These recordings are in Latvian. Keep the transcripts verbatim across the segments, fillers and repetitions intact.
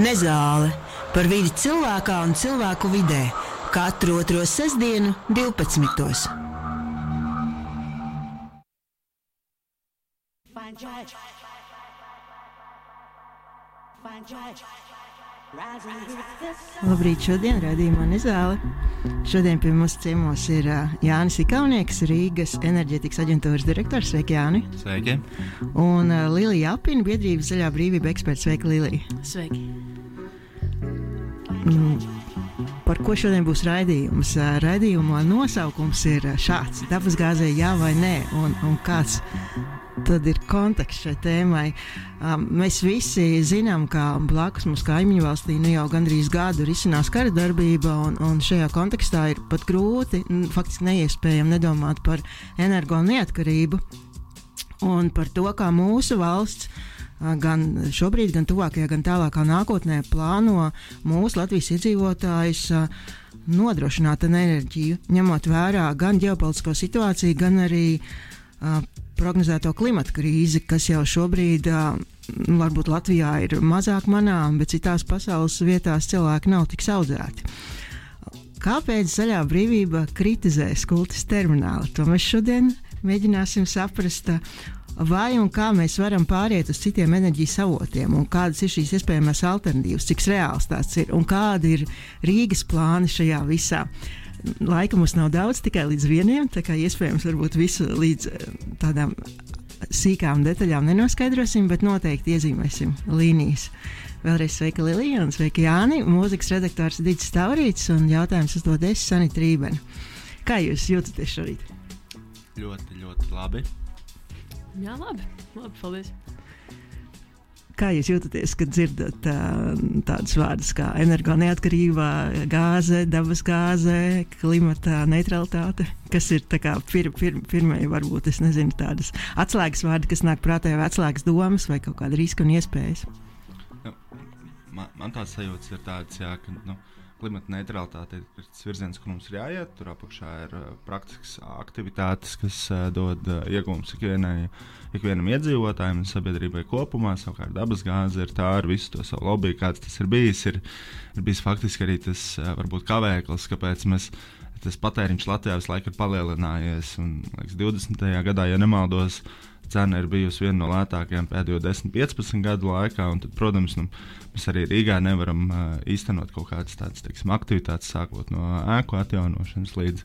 Nezāle par vidi cilvēkā un cilvēku vidē katru otro sestdienu divpadsmitos. Labrīt, šodien raidījumā Nezāle. Šodien pie mums ciemos ir uh, Jānis Ikaunieks, Rīgas enerģētikas aģentūras direktors. Sveiki, Jāni! Sveiki! Un uh, Lilija Apina, biedrības Zaļā brīvība eksperts. Sveiki, Lilija! Sveiki! Mm, par ko šodien būs raidījums? Uh, raidījuma nosaukums ir šāds: dabasgāzei jā vai nē, un, un kāds tad ir konteksts šai tēmai. Um, mēs visi zinām, ka blakus mums kaimiņu valstī nu jau gandrīz gadu risinās kara darbība, un, un šajā kontekstā ir pat grūti, faktiski neiespējami nedomāt par energo neatkarību un par to, kā mūsu valsts uh, gan šobrīd, gan tuvākajā, gan tālākā nākotnē plāno mūsu Latvijas iedzīvotājus uh, nodrošināt enerģiju, ņemot vērā gan ģeopolitisko situāciju, gan arī uh, prognozēto klimata krīzi, kas jau šobrīd uh, varbūt Latvijā ir mazāk manām, bet citās pasaules vietās cilvēki nav tik saudzēti. Kāpēc Zaļā brīvība kritizē Skultes terminālu? To mēs šodien mēģināsim saprast, vai un kā mēs varam pāriet uz citiem enerģijas avotiem, un kādas ir šīs iespējamās alternatīvas, cik reāls tās ir, un kādi ir Rīgas plāni šajā visā. Laika mums nav daudz, tikai līdz vieniem, tā kā iespējams varbūt visu līdz tādām sīkām detaļām nenoskaidrosim, bet noteikti iezīmēsim līnijas. Vēlreiz sveika Lilija un sveika Jāni, mūzikas redaktors Digis Taurīts un jautājums uzdod es, Sanita Rībena. Kā jūs jūtaties šorīt? Ļoti, ļoti labi. Jā, labi. Labi, paldies. Kā jūs jūtaties, kad dzirdat uh, tādus vārdus kā energo neatkarība, gāze, dabas gāze, klimata neutralitāte, kas ir tā kā pir, pir, pirmie, varbūt, es nezinu, tādas atslēgas vārdi, kas nāk prātā, vai atslēgas domas, vai kaut kāda riska un iespējas? Nu, man, man tāds sajūtas ir tāds, jā, ka nu, klimata neutralitāte ir tas virziens, kur mums ir jāiet. Tur apakšā ir uh, praktiskas aktivitātes, kas uh, dod uh, iegūmus ikvienai, ikvienam iedzīvotājiem un sabiedrībai kopumā. Savukārt dabas gāze ir tā ar visu to savu lobby, kāds tas ir bijis. Ir, ir bijis faktiski arī tas uh, varbūt kavēklis, kāpēc mēs, tas patēriņš Latvijā visu laiku ir palielinājies. Un, liekas, divdesmitajā gadā, ja nemaldos, cena ir bijusi viena no lētākajām pēdējo desmit piecpadsmit gadu laikā, un tad, protams, nu, mēs arī Rīgā nevaram uh, īstenot kaut kādas tādas, teiksim, aktivitātes, sākot no ēku atjaunošanas līdz,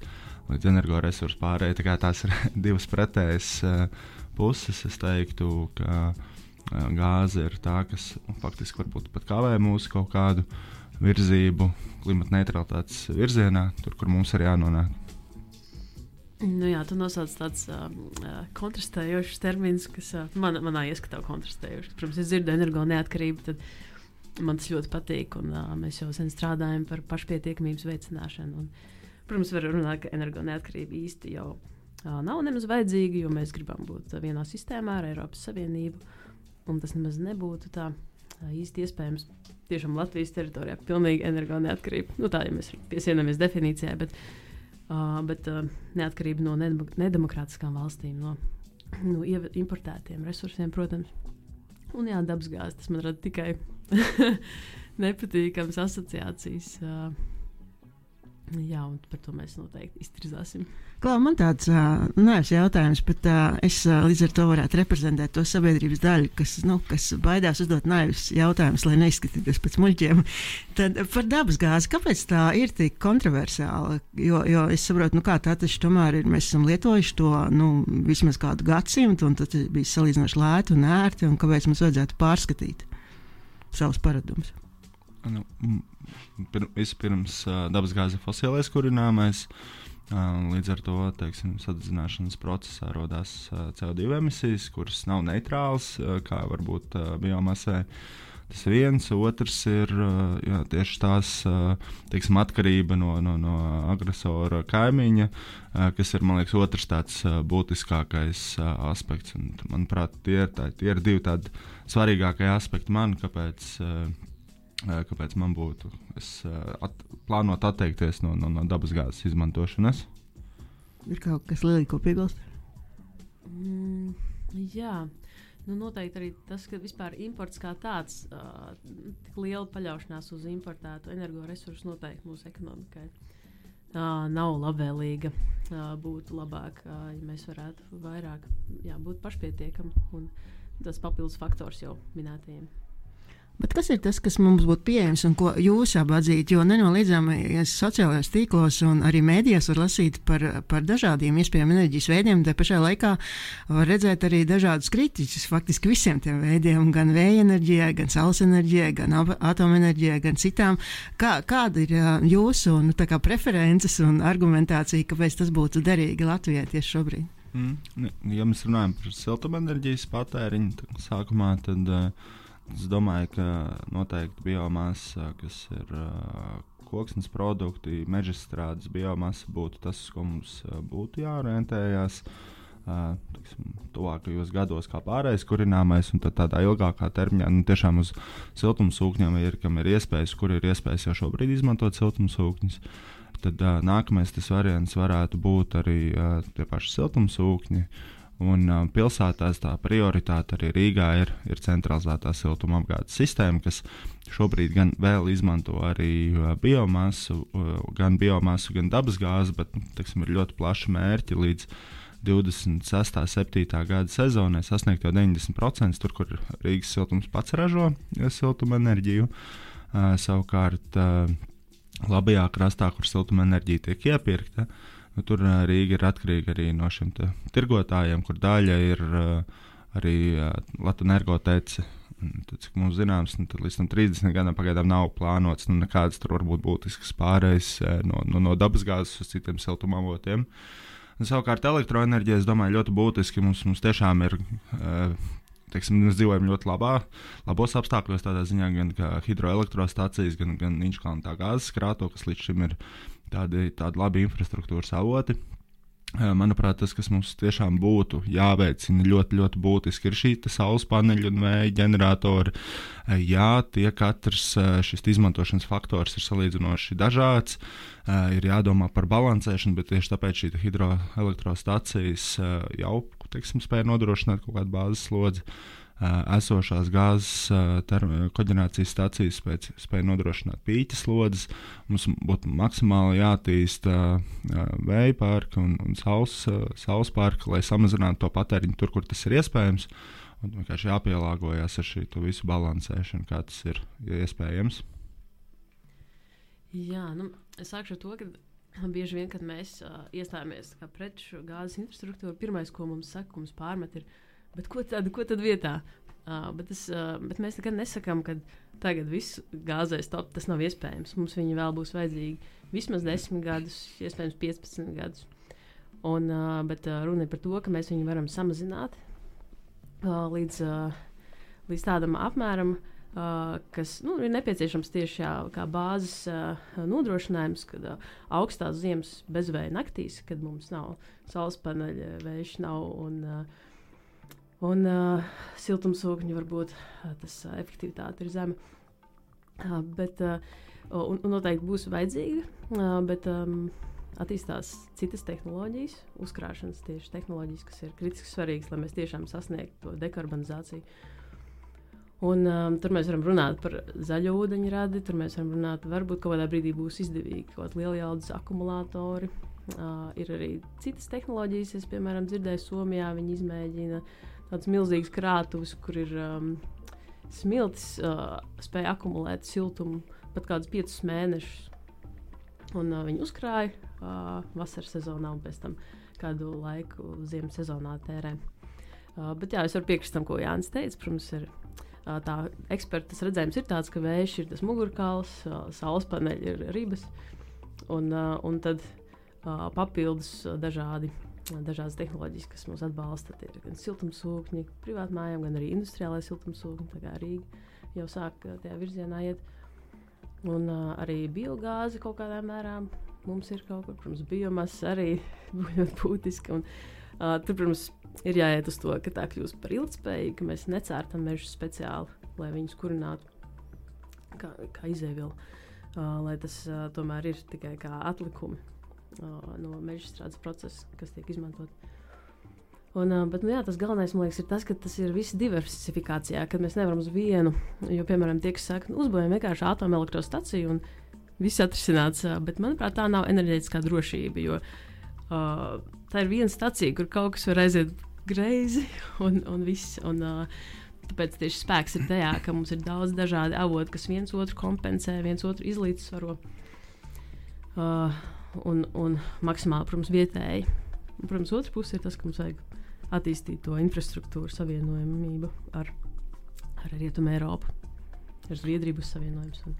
līdz energoresursu pārējai. Tā kā tās ir divas pretējas uh, puses. Es teiktu, ka uh, gāze ir tā, kas nu, faktiski varbūt pat kavē mūsu kaut kādu virzību klimata neutralitātes virzienā, tur, kur mums ir jānonāk. Nu jā, tu nosauc tāds uh, kontrastējošs termins, kas uh, man, manā ieskatā kontrastējošs. Protams, es dzirdu energo neatkarību, tad man tas ļoti patīk, un uh, mēs jau sen strādājam par pašpietiekamības veicināšanu. Un, protams, var runāt, ka energo neatkarība īsti jau uh, nav nemaz vajadzīga, jo mēs gribam būt uh, vienā sistēmā ar Eiropas Savienību, un tas nemaz nebūtu tā uh, īsti iespējams. Tiešām Latvijas teritorijā pilnīgi energo neatkarība. Nu tā, ja mēs piesienāmies definīcijai, bet Uh, bet uh, neatkarība no nedemokrātiskām valstīm, no, no importētiem resursiem, protams. Un jā, dabasgāze, tas man rada tikai nepatīkams asociācijas. Uh, jā, un par to mēs noteikti iztirzāsim. Klau, man tāds uh, nevis jautājums, bet uh, es uh, līdz ar to varētu reprezentēt to sabiedrības daļu, kas, nu, kas baidās uzdot nevis jautājumus, lai neizskatītos pēc muļķiem. Tad par dabasgāzi, kāpēc tā ir tik kontroversāla? Jo, jo es saprotu, nu kā tā taču tomēr ir, mēs esam lietojuši to, nu, vismaz kādu gadsimtu, un tad bija salīdzinoši lēti un ērti, un kāpēc mums vajadzētu pārskatīt savus paradumus? Nu, pir, vispirms uh, dabasgāze fosilais kurināmais. Uh, līdz ar to, teiksim, sadedzināšanas procesā rodās uh, C O divi emisijas, kuras nav neitrāls, uh, kā varbūt uh, biomasai. Tas ir viens. Otrs ir uh, jā, tieši tās, uh, teiksim, atkarība no, no, no agresora kaimiņa, uh, kas ir, man liekas, otrs tāds uh, būtiskākais uh, aspekts. Un, manuprāt, tie ir, tā, tie ir divi tādi svarīgākie aspekti man, kāpēc uh, kāpēc man būtu es, at, plānot atteikties no, no, no dabasgāzes izmantošanas. Ir kaut kas Lilija, ko piebilst? Mm, jā, Nu, noteikti arī tas, ka vispār imports kā tāds, uh, tik liela paļaušanās uz importētu energoresursu noteikti mūsu ekonomikai uh, nav labvēlīga. Uh, būtu labāk, uh, ja mēs varētu vairāk jā, būt pašpietiekami un tas papildus faktors jau minētajiem. Bet kas ir tas, kas mums būtu pieejams un ko jūs abi atzītu? Jo nenoliedzami sociālajos tīklos un arī mēdījos var lasīt par, par dažādiem iespējamiem enerģijas veidiem. Tā pašā laikā var redzēt arī dažādus kritiķus faktiski visiem tiem veidiem, gan vēja enerģijai, gan saules enerģijai, gan atomenerģijai, gan citām. Kā, kāda ir jūsu nu, tā kā preferences un argumentācija, kāpēc tas būtu derīgi Latvijai tieši šobrīd? Mm. Ja mēs runājam par siltumenerģijas patēriņu sākumā, tad uh, es domāju, ka noteikti biomasa, kas ir uh, koksnes produkti, mežstrādes biomasa būtu tas, ko mums uh, būtu jāorientējās uh, tiksim, tuvākajos gados kā pārējais kurināmais, un tad tādā ilgākā termiņā nu, tiešām uz siltumsūkņiem ir, kam ir iespējas, kur ir iespējas jau šobrīd izmantot siltumsūkņus. Tad uh, nākamais tas variants varētu būt arī uh, tie paši siltumsūkņi. Un uh, pilsētās tā prioritāte arī Rīgā ir, ir centralizētā siltuma apgādes sistēma, kas šobrīd gan vēl izmanto arī uh, biomasu, uh, gan biomasu, gan dabasgāzi, bet teksim, ir ļoti plaši mērķi līdz divdesmit sestā septītā gada sezonai sasniegt jau deviņdesmit procenti tur, kur Rīgas siltums pats ražo siltuma enerģiju. Uh, savukārt uh, labajā krastā, kur siltuma enerģija tiek iepirkta, nu, tur uh, Rīga ir atkarīga arī no šiem tirgotājiem, kur daļa ir uh, arī uh, Latvenergotece. Tad, cik mums zināms, nu, līdz tam trīsdesmit gadam pagaidām nav plānots nu, nekādas tur varbūt būtiskas pārējas uh, no, no, no dabasgāzes uz citiem siltumavotiem. Savukārt elektroenerģija, es domāju, ļoti būtiski mums, mums tiešām ir, uh, teiksim, mēs dzīvojam ļoti labā, labos apstākļos tādā ziņā, gan kā hidroelektrostacijas, gan, gan Inčkalna gāzes krāto, kas līdz šim ir tādi, tādi labi infrastruktūras avoti. Manuprāt, tas, kas mums tiešām būtu jāveicina ļoti, ļoti būtiski, ir šī saules paneļu un vēja ģeneratori. Jā, tie katrs šis izmantošanas faktors ir salīdzinoši dažāds, ir jādomā par balansēšanu, bet tieši tāpēc šī hidroelektrostacijas jau, teiksim, spēja nodrošināt kaut kādu bāzes slodzi. Esošās gāzes koģenerācijas stacijas spēja, spēja nodrošināt pīķa slodzes. Mums būtu maksimāli jātīsta vēja parka un, un saules, saules parka, lai samazinātu to patēriņu tur, kur tas ir iespējams. Un vienkārši jāpielāgojas ar šī visu balansēšanu, kā tas ir iespējams. Jā, nu, es sākšu ar to, ka bieži vien, kad mēs uh, iestājāmies pret šo gāzes infrastruktūru, pirmais, ko mums saka, ko mums pārmet, ir Bet ko tad, ko tad vietā? Uh, bet, es, uh, bet mēs nekad nesakām, ka tagad viss gāzē stop, tas nav iespējams. Mums viņi vēl būs vajadzīgi vismaz desmit gadus, iespējams piecpadsmit gadus. Un, uh, bet uh, runa ir par to, ka mēs viņu varam samazināt uh, līdz, uh, līdz tādam apmēram, uh, kas nu, ir nepieciešams tieši jā, kā bāzes uh, nodrošinājums, kad uh, augstās ziemas bezvēja naktīs, kad mums nav saules paneļa, vējš nav un uh, Un uh, siltumsūkņi varbūt uh, tas uh, efektivitāte ir zema. Uh, bet, uh, un, un noteikti būs vajadzīga, uh, bet um, attīstās citas tehnoloģijas, uzkrāšanas tieši tehnoloģijas, kas ir kritiski svarīgas, lai mēs tiešām sasniegtu to dekarbonizāciju. Un um, tur mēs varam runāt par zaļo ūdeņradi, tur mēs varam runāt, varbūt kaut kādā brīdī būs izdevīgi kaut kādi lielijaudas akumulātori. Uh, ir arī citas tehnoloģijas, es piemēram dzirdēju Somijā, viņi izmēģina tāds milzīgs krātuvs, kur ir um, smiltis, uh, spēja akumulēt siltumu pat kādus piecus mēnešus. Un uh, viņi uzkrāja uh, vasaras sezonā un pēc tam kādu laiku ziemas sezonā tērē. Uh, bet jā, es varu piekrist tam, ko Jānis teica. Protams, ir uh, tā ekspertas redzējums ir tāds, ka vējš ir tas mugurkauls, uh, saules paneļi ir ribas, un, uh, un tad uh, papildus uh, dažādi dažādas tehnoloģijas, kas mūs atbalsta. Ir gan siltumsūkņi privātmājām, gan arī industriālai siltumsūkņi. Tā kā Rīga jau sāk tajā virzienā iet. Un uh, arī biogāze kaut kādā mērā mums ir kaut kur. Protams, biomasa arī ļoti būtiski. Un, uh, tur, protams, ir jāiet uz to, ka tā kļūst par ilgtspējīgu, ka mēs necērtam mežus speciāli, lai viņus kurinātu kā, kā izēvielu. Uh, lai tas uh, tomēr ir tikai kā atlikumi no mežstrādes procesa, kas tiek izmantot. Un, bet, nu, jā, tas galvenais, man liekas, ir tas, ka tas ir viss diversifikācijā, kad mēs nevaram uz vienu, jo, piemēram, tie, kas saka, nu, uzbūvējam vienkārši atomelektrostaciju un viss atrisināts, bet, manuprāt, tā nav enerģētiskā drošība, jo uh, tā ir viena stacija, kur kaut kas var aiziet greizi un, un viss, un uh, tāpēc tieši spēks ir tajā, ka mums ir daudz dažādi avoti, kas viens otru kompensē, viens otru izlīdzsvaro uh, un, un maksimāli, protams, vietēji. Un, protams, otra puse ir tas, ka mums vajag attīstīt to infrastruktūru savienojamību ar, ar Rietumu Eiropu, ar Zviedriju būs savienojums. Un...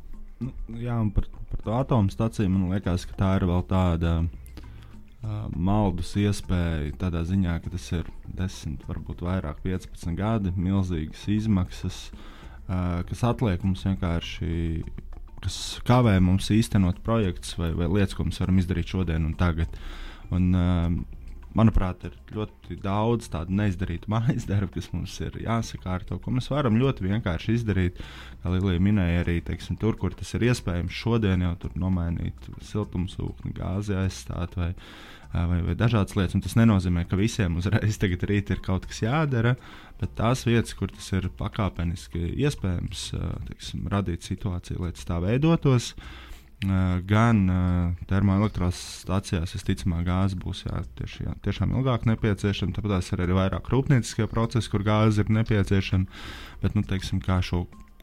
Nu, jā, un par, par to atomu staciju man liekas, ka tā ir vēl tāda uh, maldus iespēja tādā ziņā, ka tas ir desmit, varbūt vairāk, piecpadsmit gadi, milzīgas izmaksas, uh, kas atliek mums vienkārši, kas kavē mums īstenot projektus vai, vai lietas, ko mēs varam izdarīt šodien un tagad. Un, uh, manuprāt, ir ļoti daudz tādu neizdarītu mājas darbu, kas mums ir jāsakārto, ko mēs varam ļoti vienkārši izdarīt. Kā Lilija minēja, arī teiksim, tur, kur tas ir iespējams, šodien jau tur nomainīt siltumsūkni, gāzi aizstāt vai, vai, vai dažādas lietas. Un tas nenozīmē, ka visiem uzreiz tagad rīt ir kaut kas jādara, bet tās vietas, kur tas ir pakāpeniski iespējams, teiksim, radīt situāciju, lai tas tā veidotos. Uh, gan uh, termoelektrostācijās, visticamāk, gāze būs jā, tieši, jā, tiešām ilgāk nepieciešama. Tāpēc ir arī vairāk rūpnieciskie procesi, kur gāze ir nepieciešama. Bet, nu, teiksim, kā šo,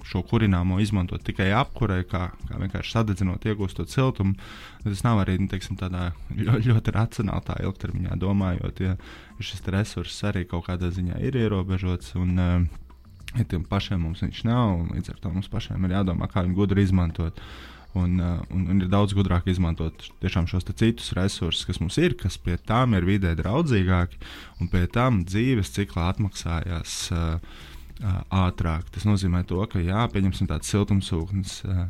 šo kurināmo izmantot tikai apkurei, kā, kā vienkārši sadedzinot, iegūstot siltumu, tas nav arī, nu, teiksim, tādā ļoti, ļoti racionāli tā ilgtermiņā domājot, ja šis resurss arī kaut kādā ziņā ir ierobežots. Un, uh, ja tiem pašiem mums viņš nav, un līdz ar to mums pašiem ir jādomā, kā viņu gudri izmantot. Un, uh, un, un ir daudz gudrāk izmantot tiešām šos citus resursus, kas mums ir, kas pie tām ir vidē draudzīgāki, un pie tām dzīves ciklā atmaksājās uh, uh, ātrāk. Tas nozīmē to, ka jā, pieņemsim tāds siltumsūknis, uh,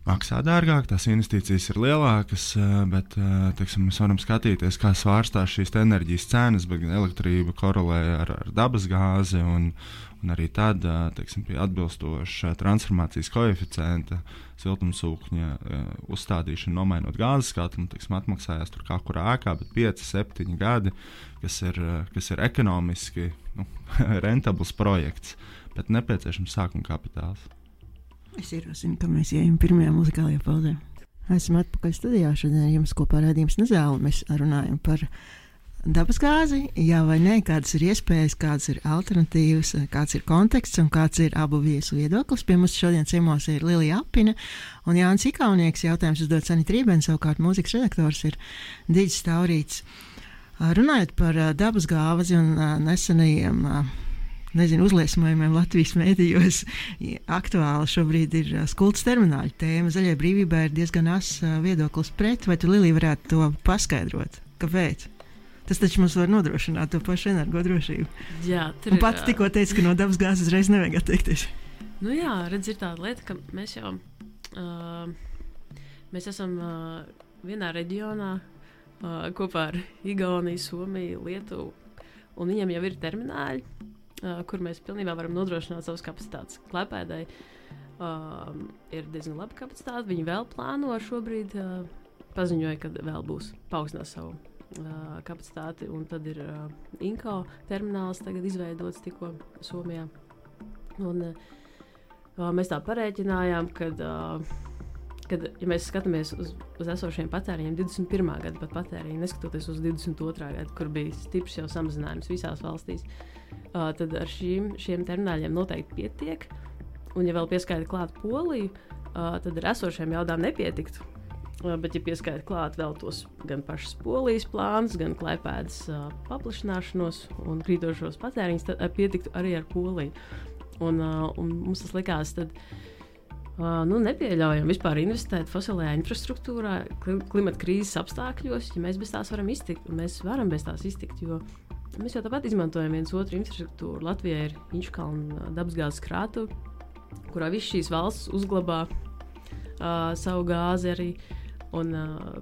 maksā dārgāk, tās investīcijas ir lielākas, uh, bet uh, teiksim, mēs varam skatīties, kā svārstās šīs enerģijas cenas, bet elektrība korelē ar, ar dabas gāzi, un, un arī tad, uh, teiksim, pie atbilstoša transformācijas koeficienta siltumsūkņa uh, uzstādīšana, nomainot gāzes katlu, teiksim, atmaksājās tur kā kurā ēkā, bet pieci, septiņi gadi, kas ir, uh, kas ir ekonomiski nu, rentabls projekts, bet nepieciešams sākuma kapitāls. Es ierosinu, ka mēs ejam pirmajā muzikālajā pauzē. Esam atpakaļ studijā. Šodien jums kopā raidījums Nezāle. Mēs runājam par dabasgāzi, jā vai nē, kādas ir iespējas, kādas ir alternatīvas, kāds ir konteksts un kāds ir abu viesu viedoklis. Pie mums šodien ciemos ir Lilija Apina un Jānis Ikaunieks. Jautājums uzdod Sanita Rībena, savukārt mūzikas redaktors ir Diģis Taurīts. Runājot par dabasgāzi un nesenajiem nezinu, uzliesmojumiem Latvijas mēdījos, aktuāli šobrīd ir Skultas termināļa tēma. Zaļai brīvībai ir diezgan ass viedoklis pret, vai tu, Lilija, varētu to paskaidrot? Kāpēc? Tas taču mums var nodrošināt to pašu energodrošību. Jā, tur un pats tikko teica, ka no dabas gāzes uzreiz nevajag atteikties. Nu jā, redz, ir tāda lieta, ka mēs jau uh, mēs esam uh, vienā reģionā uh, kopā ar Igauniju, Somiju, Lietuvu, un viņiem jau ir termināļi, Uh, kur mēs pilnībā varam nodrošināt savas kapacitātes. Klaipēdai uh, ir diezgan laba kapacitāte. Viņi vēl plāno šobrīd, uh, paziņoja, ka vēl būs paaugstinās savu uh, kapacitāti, un tad ir uh, Inko termināls tagad izveidots tikko Somijā. Un, uh, mēs tā parēķinājām, kad, uh, kad ja mēs skatāmies uz, uz esošiem patēriņiem divdesmit pirmā gada pat patēriņu, neskatoties uz divdesmit otrā gada, kur bija stiprs jau samazinājums visās valstīs, Uh, tad ar šīm, šiem termināļiem noteikti pietiek. Un, ja vēl pieskaita klāt Poliju, uh, tad ar esošiem jaudām nepietiktu. Uh, bet, ja pieskaita klāt vēl tos gan pašas Polijas plānus, gan Klaipēdas uh, paplašināšanos un krītošos patēriņus, tad uh, pietiktu arī ar Poliju. Un, uh, un mums tas likās, tad uh, nu, nepieļaujam vispār investēt fosilajā infrastruktūrā klimata krīzes apstākļos, ja mēs bez tās varam iztikt. Un mēs varam bez tās iztikt, jo mēs jau tāpat izmantojam viens otru infrastruktūru. Latvijā ir Inčukalna dabasgāzes krātuve, kurā viss šīs valsts uzglabā uh, savu gāzi arī. Un, uh,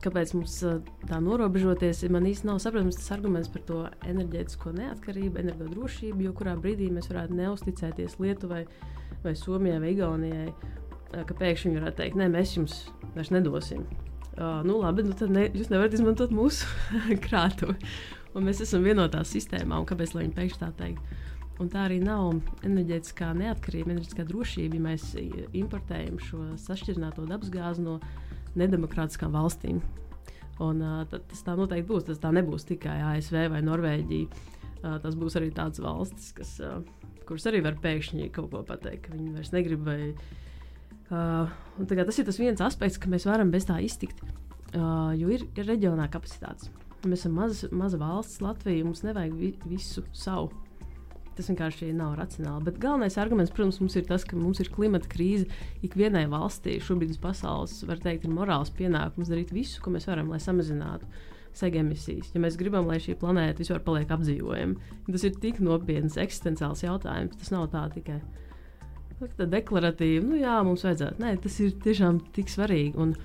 kāpēc mums uh, tā norobežoties, man īsti nav saprotams tas arguments par to enerģētisko neatkarību, energodrošību, jo kurā brīdī mēs varētu neusticēties Lietuvai vai Somijai vai Igaunijai, uh, ka pēkšņi viņi varētu teikt, nē, mēs jums vairs nedosim. Uh, nu labi, nu tad ne, jūs nevarat izmantot mūsu krātuvi. un mēs esam vienotā sistēmā, un kāpēc lai viņi pēkšņi tā teikt? Un tā arī nav enerģētiskā neatkarība, enerģētiskā drošība, ja mēs importējam šo sašķirināto dabasgāzi no nedemokrātiskām valstīm. Un, uh, tas tā noteikti būs. Tas tā nebūs tikai A S V vai Norvēģija. Uh, tas būs arī tādas valstis, kas, uh, kuras arī var pēkšņi kaut ko pateikt, ka viņi vairs negrib. Vai, uh, tas ir tas viens aspekts, ka mēs varam bez tā iztikt, uh, jo ir reģionā kapacitātes. Mēs esam maza, maza valsts, Latvija, mums nevajag vi, visu savu. Tas vienkārši nav racionāli. Bet galvenais arguments, protams, mums ir tas, ka mums ir klimata krīze. Ikvienai valstī šobrīd uz pasaules, var teikt, ir morāls pienākums darīt visu, ko mēs varam, lai samazinātu sega emisijas. Ja mēs gribam, lai šī planēta vispār paliek apdzīvojama, tas ir tik nopietns, eksistenciāls jautājums. Tas nav tā tikai tā deklaratīvi, nu jā, mums vajadzētu. Nē, tas ir tiešām tik svarīgi. Un,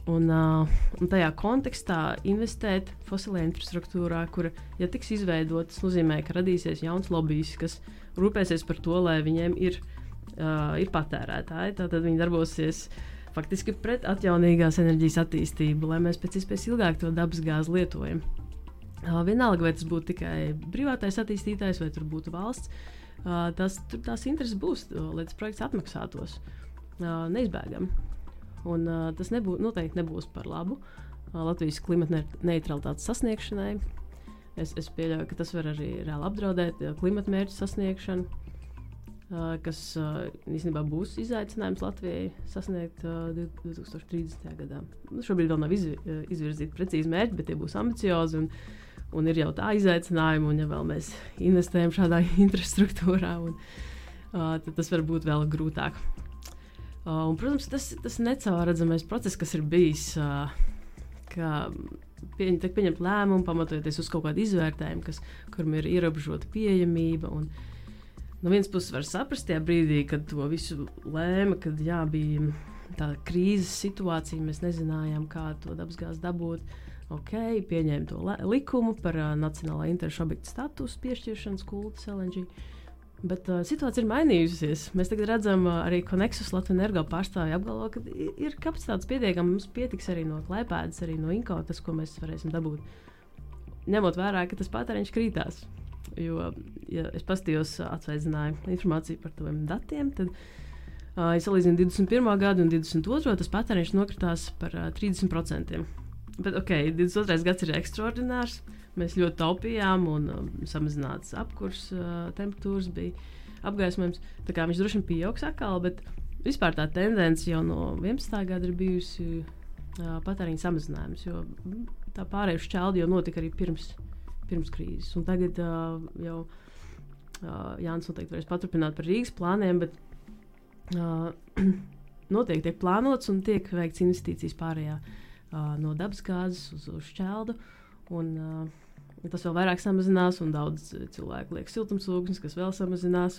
Un, uh, un tajā kontekstā investēt fosilajā infrastruktūrā, kura, ja tiks izveidota, tas nozīmē, ka radīsies jauns lobbyis, kas rūpēsies par to, lai viņiem ir, uh, ir patērētāji. Tātad viņi darbosies faktiski pret atjaunīgās enerģijas attīstību, lai mēs pēc iespējas ilgāk to dabasgāzi lietojam. Uh, vienalga, vai tas būtu tikai privātais attīstītājs, vai tur būtu valsts, uh, tas, tur tās intereses būs, lai tas projekts atmaksātos uh, neizbēgami. Un, uh, tas nebū, noteikti nebūs par labu uh, Latvijas klimata neutralitātes sasniegšanai. Es, es pieļauju, ka tas var arī reāli apdraudēt uh, klimata mērķu sasniegšanu, uh, kas uh, īstenībā būs izaicinājums Latvijai sasniegt uh, divtūkstoš trīsdesmitajā gadā. Nu, šobrīd vēl nav izvi, uh, izvirzīti precīzi mērķi, bet tie būs ambiciozi un, un ir jau tā izaicinājumi. Un, ja vēl mēs investējam šādā infrastruktūrā, un, uh, tad tas var būt vēl grūtāk. Uh, un, protams, tas, tas necaurredzamais process, kas ir bijis, uh, ka pieņem, tiek pieņemt lēmumu, pamatojoties uz kaut kādu izvērtējumu, kas, kuram ir ierobežota pieejamība. Un, no vienas puses var saprast tajā brīdī, kad to visu lēma, kad jā, bija tā krīzes situācija, mēs nezinājām, kā to dabasgāzi dabūt. Ok, pieņēma to likumu par uh, nacionālā interešu objektu statusu piešķiršanas kultas L N G. Bet uh, situācija ir mainījusies. Mēs tagad redzam, uh, arī Konexus Latvijas energo pārstāvji apgalvo, ka ir kapacitātes pietiekami. Mums pietiks arī no Klaipēdas, arī no Inko, tas, ko mēs varēsim dabūt. Ņemot vērā, ka tas patēriņš krītās. Jo, ja es paskatījos, uh, atsveidzināju informāciju par tiem datiem, tad, uh, ja salīdzinu divdesmit pirmo gadu un divdesmit otro, tas patēriņš nokritās par uh, trīsdesmit procentiem. Bet, ok, divdesmit otrais gads ir ekstraordinārs. Mēs ļoti taupījām, un um, samazināts apkurs, uh, temperatūras bija apgaismojums. Tā kā viņš droši vien pieaugs atkal, bet vispār tā tendence jau no vienpadsmitā gada ir bijusi uh, patēriņa samazinājums, jo tā pārēju šķeldi jau notika arī pirms, pirms krīzes. Un tagad uh, jau uh, Jānis noteikti varēs paturpināt par Rīgas plāniem, bet uh, noteikti tiek plānots un tiek veikts investīcijas pārējā uh, no dabasgāzes uz, uz šķeldu. Un, uh, tas vēl vairāk samazinās, un daudz cilvēku liek siltumsūknis, kas vēl samazinās.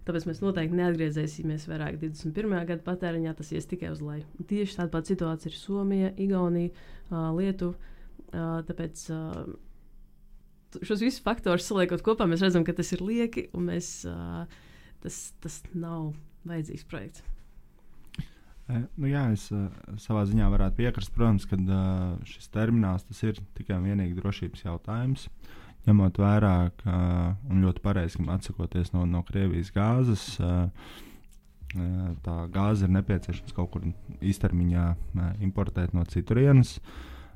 Tāpēc mēs noteikti neatgriezīsimies vairāk divdesmit pirmā gada patēriņā, tas ies tikai uz leju. Tieši tāda pati situācija ir Somija, Igaunija, uh, Lietuva. Uh, tāpēc uh, šos visus faktorus saliekot kopā, mēs redzam, ka tas ir lieki, un mēs, uh, tas, tas nav vajadzīgs projekts. Nu jā, es uh, savā ziņā varētu piekrist, protams, ka uh, šis termināls tas ir tikai un vienīgi drošības jautājums. Ņemot vērā, ka, un ļoti pareizi atsakoties no, no Krievijas gāzes, uh, uh, tā gāze ir nepieciešams kaut kur īstermiņā uh, importēt no citurienes.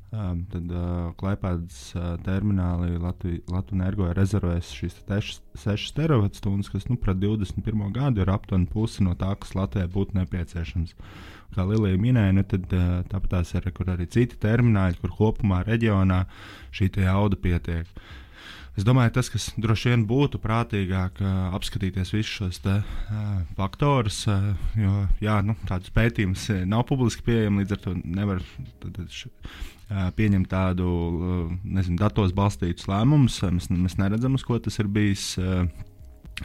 Uh, tad uh, Klaipēdas uh, termināli Latvijas energo ir rezervēs šīs sešas teravatstundas, kas nu, pret divdesmit pirmo gadu ir aptuveni pusi no tā, kas Latvijai būtu nepieciešams. Kā Lilija minēja, nu, tad uh, tāpat tās ir kur arī citi termināļi, kur kopumā reģionā šī jauda pietiek. Es domāju, tas, kas droši vien būtu prātīgāk uh, apskatīties visus šos te, uh, faktorus, uh, jo jā, nu, tādus pētījumus nav publiski pieejami, līdz ar to nevar tad, š, uh, pieņemt tādu, uh, nezinu, datos balstītus lēmumus. Mēs, mēs neredzam, uz ko tas ir bijis uh,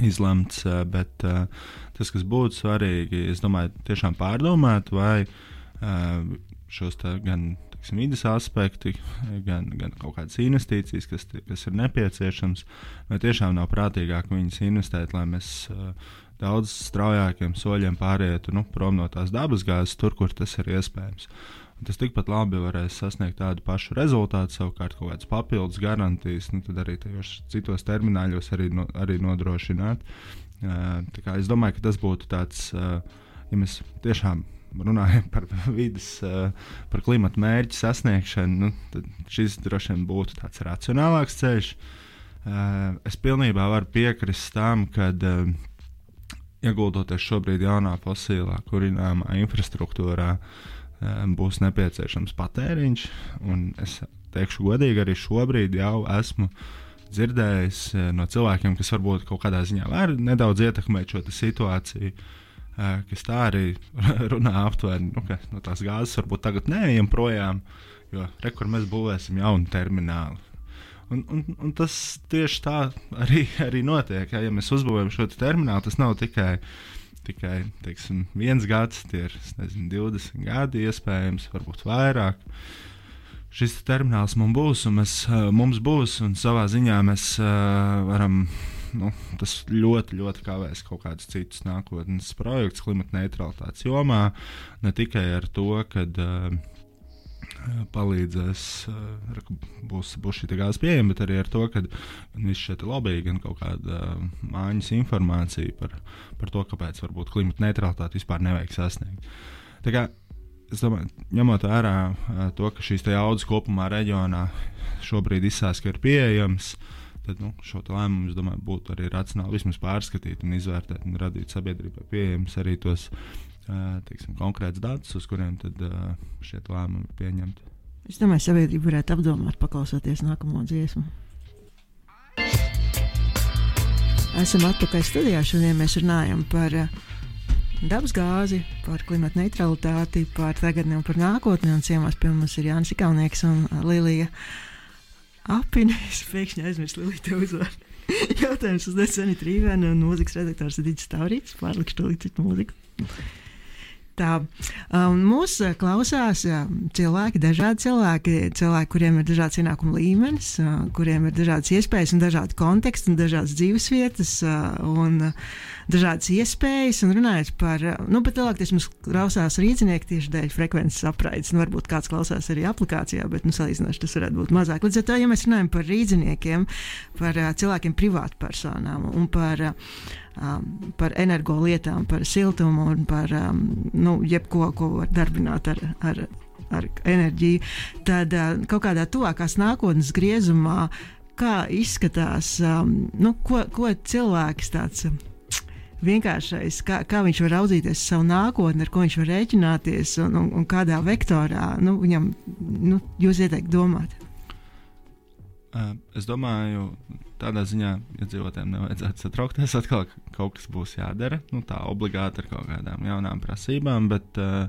izlemts, uh, bet uh, tas, kas būtu svarīgi, es domāju, tiešām pārdomāt, vai uh, šos te gan vidas aspekti, gan, gan kaut kādas investīcijas, kas, kas ir nepieciešams, vai tiešām nav prātīgāk viņas investēt, lai mēs uh, daudz straujākiem soļiem pārietu nu, prom no tās dabasgāzes, tur, kur tas ir iespējams. Tas tikpat labi varēs sasniegt tādu pašu rezultātu, savukārt kaut kādas papildus garantijas, nu, tad arī tajos citos termināļos arī, no, arī nodrošināt. Uh, tā kā es domāju, ka tas būtu tāds, uh, ja mēs tiešām runājam par vidas, uh, par klimata mērķu sasniegšanu, nu, tad šis droši vien būtu tāds racionālāks ceļš. Uh, es pilnībā varu piekrist tam, kad uh, ieguldoties šobrīd jaunā fosilā kurināmā infrastruktūrā, būs nepieciešams patēriņš, un es teikšu godīgi, arī šobrīd jau esmu dzirdējis no cilvēkiem, kas varbūt kaut kādā ziņā var nedaudz ietekmēt šo situāciju, kas tā arī runā aptuveni, nu, ka no tās gāzes varbūt tagad neejam projām, jo re, kur mēs būvēsim jaunu terminālu. Un, un, un tas tieši tā arī, arī notiek, ja, ja mēs uzbūvējam šo terminālu, tas nav tikai tikai teiksim, viens gads, tie ir nezinu, divdesmit gadi, iespējams, varbūt vairāk. Šis termināls mums būs, un mēs, mums būs, un savā ziņā mēs uh, varam, nu, tas ļoti, ļoti kavēs kaut kādus citus nākotnes projektus klimata neutralitātes jomā, ne tikai ar to, kad uh, palīdzēs, uh, būs, būs šī gāzes pieejama, bet arī ar to, ka viss šie lobby, gan kaut kāda uh, mājas informācija par, par to, kāpēc varbūt klimata neutralitāti vispār nevajag sasniegt. Tā kā, es domāju, ņemot vērā uh, to, ka šīs jaudas kopumā reģionā šobrīd izsās, ka ir pieejams, tad nu, šo lēmumu, es domāju, būtu arī racionāli vismaz pārskatīt un izvērtēt un radīt sabiedrībai pieejams arī tos teiksim, konkrēts datus, uz kuriem tad uh, šie lēmumi ir pieņemti. Es domāju, sabiedrība varētu apdomāt, paklausoties nākamo dziesmu. Esam atpakaļ studijā. Šodien mēs runājam par uh, dabasgāzi, par klimata neutralitāti, par tagadni un par nākotni. Un ciemās pie mums ir Jānis Ikaunieks un uh, Lilija Apine. Es pēkšņi aizmirsu Liliju te uzvārdu. Jautājums uz Sanita Rīvēna un mūzikas redaktors Digis Taurītis. Pārlikšu to līdz citu mūziku. Tā, um, mūs klausās um, cilvēki, dažādi cilvēki, cilvēki, kuriem ir dažāds ienākuma līmenis, uh, kuriem ir dažādas iespējas un dažādi konteksti un dažādas dzīvesvietas uh, un uh, dažādas iespējas. Un runājot par, uh, nu, bet lielākoties mums klausās rīznieki tieši dēļ frekvences apraides. Nu, varbūt kāds klausās arī aplikācijā, bet, nu, salīdzinoši tas varētu būt mazāk. Līdz ar to, ja mēs runājam par rīzniekiem, par uh, cilvēkiem privātpersonām un par uh, Um, par energolietām, par siltumu un par um, nu, jebko, ko var darbināt ar, ar, ar enerģiju, tad uh, kaut kādā tuvākās nākotnes griezumā, kā izskatās, um, nu, ko, ko cilvēks tāds um, vienkāršais, kā, kā viņš var raudzīties savu nākotni, ar ko viņš var rēķināties un, un, un kādā vektorā nu, viņam nu, jūs ieteikt domāt. Uh, es domāju, tādā ziņā iedzīvotājiem nevajadzētu satraukties, atkal kaut kas būs jādara, nu, tā obligāti ar kaut kādām jaunām prasībām, bet uh,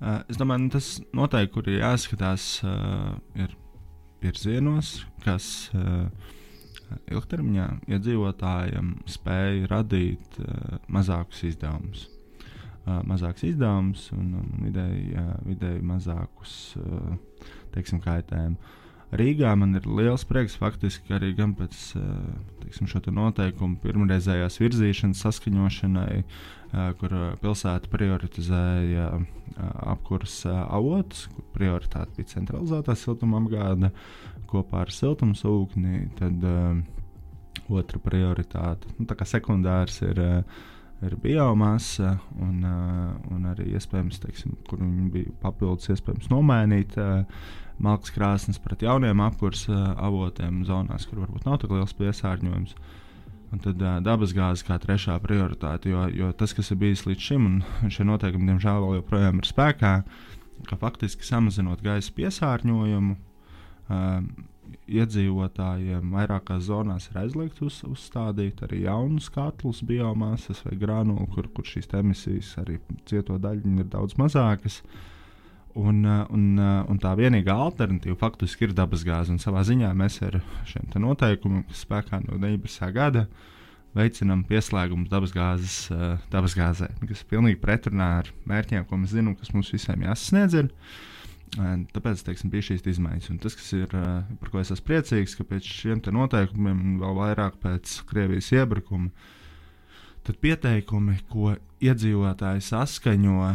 uh, es domāju, nu, tas noteikti, kur ir jāskatās, uh, ir virzienos, kas uh, ilgtermiņā iedzīvotājiem spēja radīt uh, mazākus izdevumus. Uh, mazākus izdevumus un, un vidēji, uh, vidēji mazākus, uh, teiksim, kaitējumu. Rīgā man ir liels prieks faktiski arī gan pēc teiksim, šo te noteikumu pirmreizējās virzīšanas saskaņošanai, kur pilsēta prioritizēja apkures avotus, kur prioritāte bija centralizētā siltuma apgāde kopā ar siltumsūkni, tad uh, otra prioritāte, nu, tā kā sekundārs ir, ir biomasa un, uh, un arī iespējams, teiksim, kur viņi bija papildus iespējams nomainīt uh, malkas krāsnes pret jauniem apkurs uh, avotiem zonās, kur varbūt nav tik liels piesārņojums. Un tad uh, dabasgāze kā trešā prioritāte, jo, jo tas, kas ir bijis līdz šim, un šie noteikumi, diemžēl, vēl joprojām ir spēkā, ka faktiski samazinot gaisa piesārņojumu, uh, iedzīvotājiem vairākās zonās ir aizliegts uz, uzstādīt arī jaunus katlus, biomasas vai granulu, kur, kur šīs emisijas arī cieto daļiņi ir daudz mazākas. Un, un, un tā vienīgā alternatīva faktiski ir dabasgāze. Un savā ziņā mēs ar šiem noteikumiem, kas spēkā no deviņdesmitā gada, veicinām pieslēgumus dabasgāzes, dabasgāzē, kas ir pilnīgi pretrunā ar mērķiem, ko mēs zinām, kas mums visiem jāsasniedz. Ir. Tāpēc, teiksim, bija šīs izmaiņas. Un tas, kas ir, par ko es esmu priecīgs, ka pēc šiem noteikumiem, vēl vairāk pēc Krievijas iebrukuma, tad pieteikumi, ko iedzīvotāji saskaņo,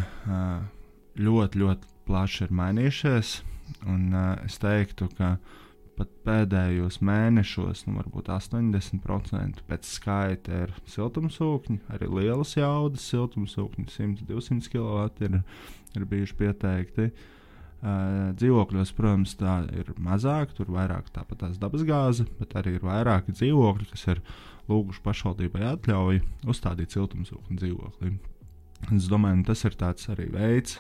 ļoti, ļoti plaši ir mainījušies. Un, uh, es teiktu, ka pat pēdējos mēnešos, nu, varbūt astoņdesmit procenti pēc skaita ir siltumsūkņi, arī lielas jaudas siltumsūkņi, simt līdz divsimt kilovati ir, ir bijuši pieteikti. Uh, dzīvokļos, protams, tā ir mazāk, tur vairāk tāpat tās dabasgāze, bet arī ir vairāki dzīvokļi, kas ir lūguši pašvaldībai atļauju uzstādīt siltumsūkņu dzīvoklī. Es domāju, tas ir tāds arī veids,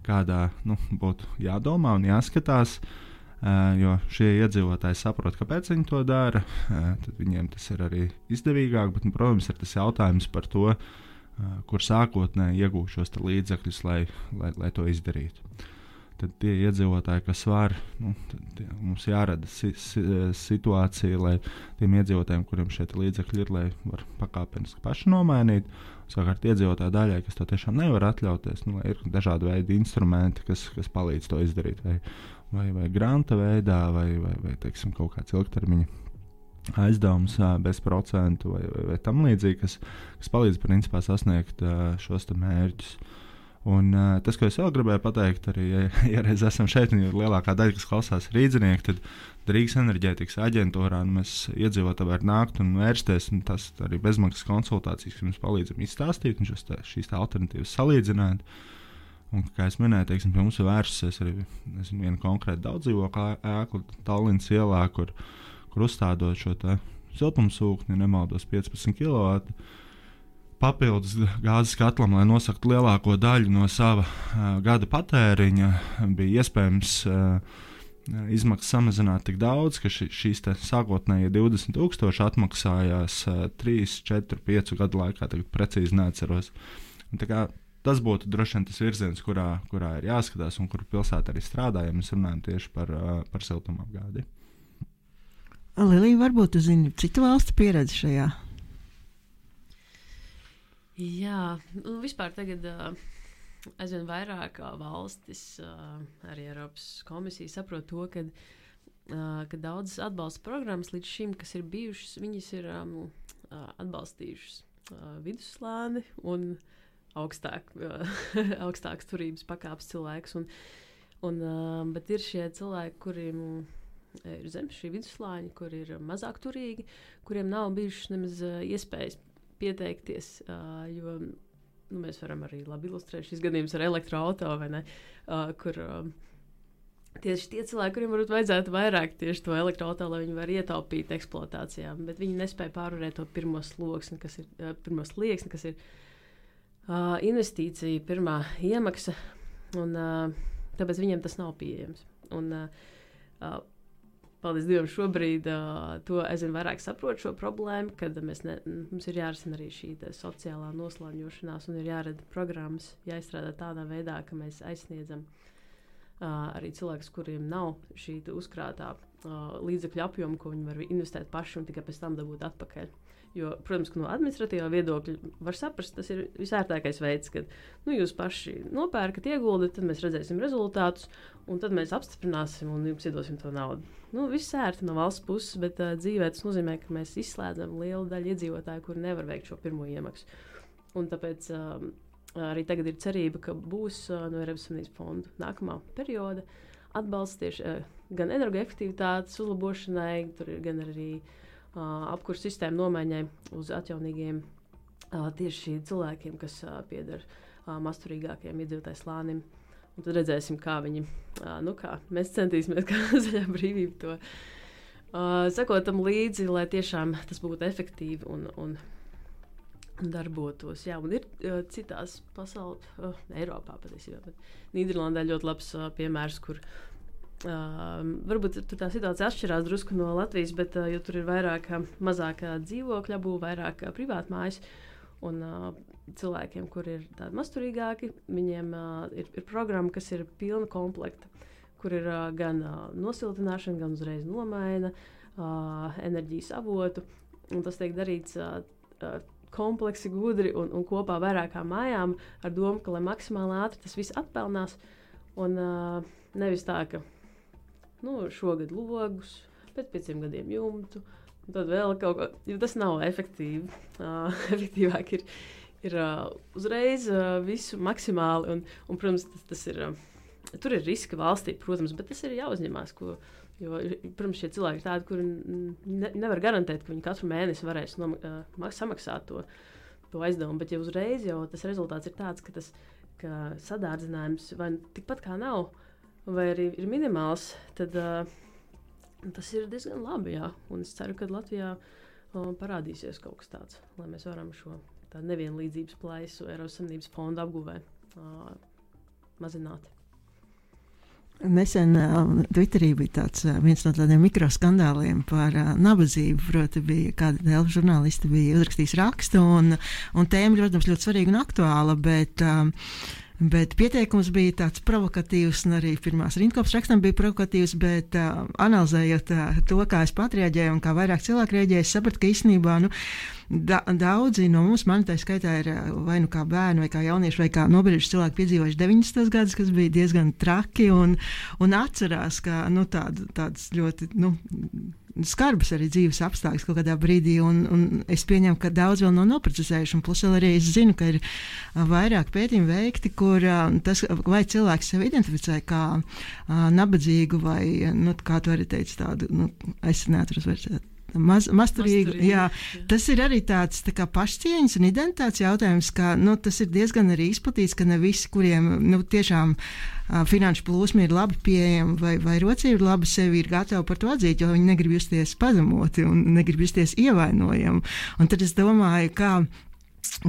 kādā nu, būtu jādomā un jāskatās, uh, jo šie iedzīvotāji saprot, kāpēc viņi to dara, uh, tad viņiem tas ir arī izdevīgāk, bet, nu, protams, ir tas jautājums par to, uh, kur sākotnēji iegūt šos līdzekļus, lai, lai, lai to izdarītu. Tad tie iedzīvotāji, kas var, nu, tie, mums jārada si, si, situācija, lai tiem iedzīvotājiem, kuriem šie līdzekļi ir, lai var pakāpeniski paši nomainīt. Savukārt iedzīvotāju daļai, kas to tiešām nevar atļauties, nu, ir dažādi veidi instrumenti, kas, kas palīdz to izdarīt. Vai, vai, vai granta veidā, vai, vai, vai teiksim, kaut kāds ilgtermiņa aizdevums bez procentu vai, vai, vai tam līdzīgi, kas, kas palīdz principā sasniegt šos mērķus. Un, uh, tas, ko es vēl gribēju pateikt, arī, ja, ja reiz esam šeit, un ir lielākā daļa, kas klausās rīdzinieki, tad Rīgas enerģētikas aģentūrā nu, mēs iedzīvotāji var nākt un vērsties, un tas arī bezmaksas konsultācijas, kas mums palīdzam izstāstīt, un šos, tā, šīs tā alternatīvas salīdzināt. Un, kā es minēju, teiksim, pie mums ir vērsusies arī nezinu, viena konkrēta daudzdzīvokļa ēkla Tallinas ielā, kur, kur uzstādot šo siltumsūkni, nemaldos piecpadsmit kilovati, papildus gāzes katlam, lai nosaktu lielāko daļu no sava uh, gada patēriņa, bija iespējams uh, izmaksas samazināt tik daudz, ka ši, šīs sākotnējie divdesmit tūkstoši atmaksājās uh, trīs, četri, pieci gadu laikā, tagad precīzi neatceros. Un, tā kā, tas būtu droši vien tas virziens, kurā, kurā ir jāskatās un kur pilsēta arī strādā, ja mēs runājam tieši par, uh, par siltumapgādi. Lilija, varbūt tu zini citu valstu pieredzi šajā? Jā, nu, vispār tagad uh, aizvien vairāk uh, valstis, uh, arī Eiropas komisija saprot to, ka, uh, ka daudzas atbalsta programmas līdz šim, kas ir bijušas, viņas ir um, uh, atbalstījušas uh, vidusslāni un augstāk, uh, augstākas turības pakāpes cilvēkus. Un, un, uh, bet ir šie cilvēki, kuriem ir zem šī vidusslāņa, kur ir mazāk turīgi, kuriem nav bijušas nemaz uh, iespējas pieteikties, uh, jo nu, mēs varam arī labi ilustrēt šīs gadījumus ar elektroauto, vai ne, uh, kur uh, tieši tie cilvēki, kuriem varbūt vajadzētu vairāk tieši to elektroauto, lai viņi var ietaupīt eksploatācijām, bet viņi nespēja pārvarēt to pirmo sloksni, kas ir, uh, pirmo slieksni, kas ir uh, investīcija, pirmā iemaksa, un uh, tāpēc viņiem tas nav pieejams. Un, uh, uh, Paldies Dievam, šobrīd uh, to aizvien vairāk saprot šo problēmu, kad mēs ne, mums ir jārisina arī šī sociālā noslāņošanās un ir jārada programmas, jāizstrādā tādā veidā, ka mēs aizsniedzam uh, arī cilvēkus, kuriem nav šī uzkrātā uh, līdzekļu apjoma, ko viņi var investēt paši un tikai pēc tam dabūt atpakaļ. Jo, protams, ka no administratīvā viedokļa var saprast, tas ir visērtākais veids, kad nu, jūs paši nopērkat, ieguldat, tad mēs redzēsim rezultātus, un tad mēs apstiprināsim un jums iedosim to naudu. Nu, viss ērti no valsts puses, bet uh, dzīvē tas nozīmē, ka mēs izslēdzam lielu daļu iedzīvotāju, kuri nevar veikt šo pirmo iemaksu. Un tāpēc uh, arī tagad ir cerība, ka būs uh, no Eiropas Savienības fondu nākamā perioda atbalsts tieši uh, gan energoefektivitātes uzlabošanai, tur ir gan arī Uh, apkursu sistēmu nomaiņai uz atjaunīgiem uh, tieši cilvēkiem, kas uh, pieder uh, masturīgākajiem iedzīvotāju slānim. Un tad redzēsim, kā viņi, uh, nu kā, mēs centīsimies, kā zaļā brīvība to uh, sakotam līdzi, lai tiešām tas būtu efektīvi un, un, un darbotos. Jā, un ir uh, citās pasaules, uh, Eiropā patiesībā, bet Nīderlandē ļoti labs uh, piemērs, kur Uh, varbūt tur tā situācija atšķirās drusku no Latvijas, bet uh, jo tur ir vairāk mazāk dzīvokļu būv, vairāk privātmājas, un uh, cilvēkiem, kur ir tādi masturīgāki, viņiem uh, ir, ir programma, kas ir pilna komplekta, kur ir uh, gan uh, nosiltināšana, gan uzreiz nomaina uh, enerģijas avotu, un tas tiek darīts uh, uh, kompleksi, gudri un, un kopā vairākām mājām ar domu, ka lai maksimāli ātri tas viss atpelnās, un uh, nevis tā, ka nu, šogad logus, pēc pieciem gadiem jumtu, un tad vēl kaut ko, jo tas nav efektīvi. Uh, efektīvāk ir, ir uh, uzreiz uh, visu maksimāli, un, un protams, tas, tas ir uh, tur ir riski valstī, protams, bet tas ir jāuzņemās. Ko, jo, protams, šie cilvēki ir tādi, kuri ne, nevar garantēt, ka viņi katru mēnesi varēs nom, uh, samaksāt to, to aizdevumu. Bet ja uzreiz jau tas rezultāts ir tāds, ka, tas, ka sadārdzinājums vai tikpat kā nav, vai arī ir minimāls, tad uh, tas ir diezgan labi. Jā. Un es ceru, ka Latvijā uh, parādīsies kaut kas tāds, lai mēs varam šo nevienlīdzības plaisu Eiropas Savienības fonda apguvē uh, mazināt. Nesen uh, Twitterī bija tāds, uh, viens no tādiem mikroskandāliem par uh, nabadzību. Proti, bija kāda telpu žurnālisti bija uzrakstījis rakstu, un, un tēma, protams, ļoti svarīga un aktuāla, bet, um, bet pieteikums bija tāds provokatīvs, un arī pirmās rindkopas rakstam bija provokatīvs, bet uh, analizējot uh, to, kā es pat rēģēju un kā vairāk cilvēku rēģēju, es sapratu, ka īstenībā, nu, Da, daudzi no mums, man tā skaitā, ir vai nu kā bērni, vai kā jaunieši, vai kā nobrieduši cilvēki piedzīvojuši deviņdesmitos gadus, kas bija diezgan traki, un, un atcerās, ka nu, tād, tāds ļoti nu, skarbs arī dzīves apstākļus kaut kādā brīdī, un, un es pieņemu, ka daudz vēl nav noprocesējuši, un plus vēl arī es zinu, ka ir vairāk pētījumi veikti, kur tas, vai cilvēks sevi identificē kā uh, nabadzīgu, vai, nu, kā tu arī teici, tādu, nu, es neatceros vairs. Maz, masturīgi, masturīgi, jā. Jā. Tas ir arī tāds tā kā pašcieņas un identitātes jautājums, ka nu, tas ir diezgan arī izplatīts, ka ne visi, kuriem nu, tiešām uh, finanšu plūsmi ir labi pieejami vai, vai rocība ir labi, sevi ir gatavi par to atzīt, jo viņi negrib justies pazemoti un negrib justies ievainojami. Un tad es domāju, kā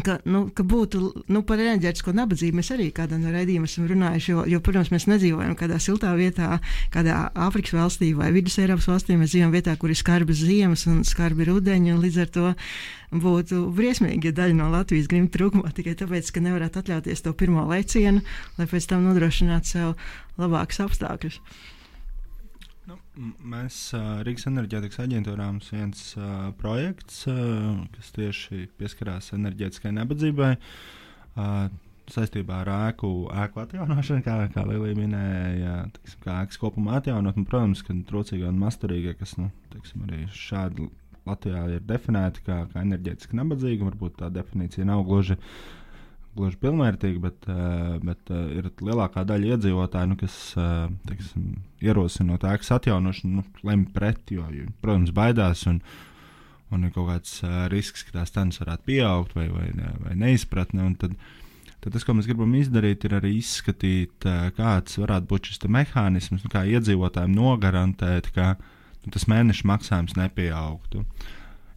Ka, nu, ka būtu nu, par enerģētisko nabadzību. Mēs arī kādā no raidījumiem esam runājuši, jo, jo, protams, mēs nedzīvojam kādā siltā vietā, kādā Āfrikas valstī vai Vidus Eiropas valstī. Mēs dzīvojam vietā, kur ir skarbas ziemas un skarbi rudeņi, un līdz ar to būtu briesmīgi, ja daļa no Latvijas grib trūkumā tikai tāpēc, ka nevarētu atļauties to pirmo lecienu, lai pēc tam nodrošinātu sev labākus apstākļus. Nu, mēs uh, Rīgas enerģētikas aģentūrā mums viens uh, projekts, uh, kas tieši pieskarās enerģētiskai nabadzībai, uh, saistībā ar ēku, ēku atjaunošanu, kā, kā Lilija minēja, teiksim, kā ēkas kopumā atjaunot. Un, protams, ka trūcīgie un masturīgie, kas nu, teiksim, arī šādi Latvijā ir definēti kā, kā enerģētiski nabadzīgi, varbūt tā definīcija nav gluži gluži pilnvērtīgi, bet, uh, bet uh, ir lielākā daļa iedzīvotāju, nu, kas uh, teiksim, ierosinot ēkas atjaunošanu, nu, lemj pret, jo, jo, protams, baidās un, un ir kaut kāds uh, risks, ka tās cenas varētu pieaugt vai, vai, vai neizpratne. Un tad, tad tas, ko mēs gribam izdarīt, ir arī izskatīt, uh, kāds varētu būt šis mehānisms, nu, kā iedzīvotājiem nogarantēt, ka nu, tas mēneša maksājums nepieaugtu.